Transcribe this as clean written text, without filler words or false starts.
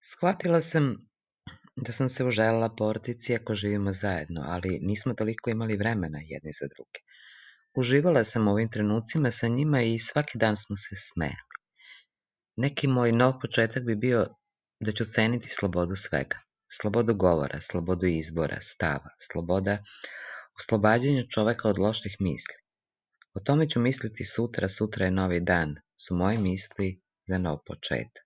Shvatila sam da sam se uželela porodici iako živimo zajedno, ali nismo toliko imali vremena jedni za druge. Uživala sam u ovim trenucima sa njima i svaki dan smo se smejali. Neki moj nov početak bi bio da ću ceniti slobodu svega. Slobodu govora, slobodu izbora, stava, sloboda oslobađanja čoveka od loših misli. O tome ću misliti sutra, sutra je novi dan, su moje misli za nov početak.